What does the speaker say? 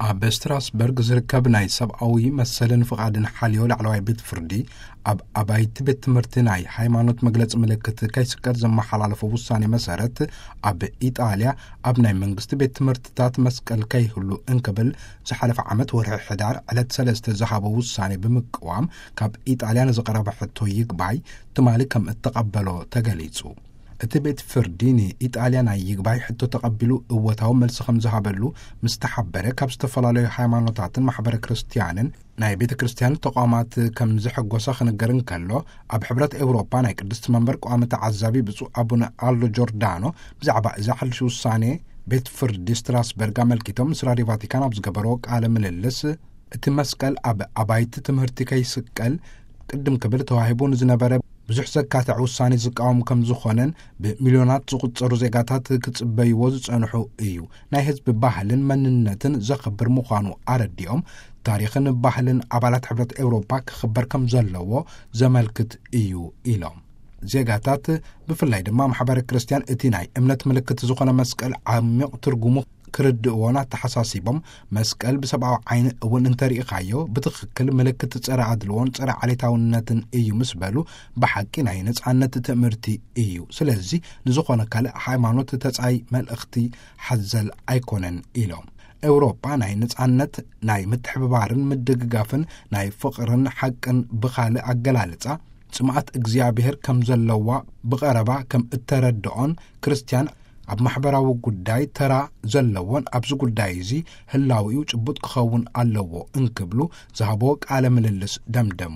ኣብ ስትራስበርግ ዝርከብ ናይ ሰብኣዊ መሰልን ፍቓድን ሓልዮ ላዕለዋይ ቤት ፍርዲ፣ ኣብ ኣባይቲ ቤት ትምህርቲ ናይ ሃይማኖት መግለጺ ምልክት ከይስቀል ዘመሓላለፎ ውሳኔ መሰረት፣ ኣብ ኢጣልያ ኣብ ናይ መንግስቲ ቤት ትምህርትታት መስቀል ከይህሉ እንክብል ዝሓለፈ ዓመት ወርሒ ሕዳር ዕለት ሰለስተ ዝሃቦ ውሳኔ ብምቅዋም፣ ካብ ኢጣልያ ንዝቐረበ ሕቶ ይግባይ ትማሊ ከም እተቐበሎ ተገሊጹ። እቲ ቤት ፍርዲ ንኢጣልያ ናይ ይግባይ ሕቶ ተቐቢሉ እወታዊ መልሲ ከም ዝሃበሉ ምስ ተሓበረ፣ ካብ ዝተፈላለዩ ሃይማኖታትን ማሕበረ ክርስትያንን ናይ ቤተ ክርስትያን ተቋማት ከም ዝሕጎሰ ክንገር እንከሎ፣ ኣብ ሕብረት ኤውሮጳ ናይ ቅድስቲ መንበር ቋሚ ተዓዛቢ ብፁዕ ኣቡነ ኣሎ ጆርዳኖ ብዛዕባ እዚ ሓድሽ ውሳኔ ቤት ፍርዲ ስትራስበርግ ኣመልኪቶም ምስ ራድዮ ቫቲካን ኣብ ዝገበርዎ ቃለ ምልልስ፣ እቲ መስቀል ኣብ ኣባይቲ ትምህርቲ ከይስቀል ቅድም ክብል ተዋሂቡ ንዝነበረ ብዙሕ ዘካትዕ ውሳኔ ዝቃወም ከም ዝኾነን፣ ብሚልዮናት ዝቑጸሩ ዜጋታት ክጽበይዎ ዝጸንሑ እዩ። ናይ ህዝቢ ባህልን መንነትን ዘኽብር ምዃኑ ኣረዲኦም፣ ታሪኽን ባህልን ኣባላት ሕብረት ኤውሮፓ ክኽበር ከም ዘለዎ ዘመልክት እዩ ኢሎም። ዜጋታት፣ ብፍላይ ድማ ማሕበረ ክርስትያን፣ እቲ ናይ እምነት ምልክት ዝኾነ መስቀል ዓሚቕ ትርጉሙ ክርድእዎን ኣተሓሳሲቦም፣ መስቀል ብሰብኣዊ ዓይኒ እውን እንተሪኢኻዮ ብትኽክል ምልክት ጸረ ኣድልዎን ጸረ ዓሌታውነትን እዩ ምስ በሉ፣ ብሓቂ ናይ ነጻነት ትእምርቲ እዩ። ስለዚ ንዝኾነ ካልእ ሃይማኖት ተጻይ መልእኽቲ ሓዘል ኣይኮነን ኢሎም። ኤውሮጳ ናይ ነጻነት፣ ናይ ምትሕብባርን ምድግጋፍን፣ ናይ ፍቕርን ሓቅን፣ ብኻልእ ኣገላልጻ ጽምኣት እግዚኣብሔር ከም ዘለዋ ብቐረባ ከም እተረድኦን፣ ክርስትያን ኣብ ማሕበራዊ ጉዳይ ተራ ዘለዎን ኣብዚ ጉዳይ እዚ ህላዊኡ ጭቡጥ ክኸውን ኣለዎ እንክብሉ ዝሃብዎ ቃለ ምልልስ ደምደሙ።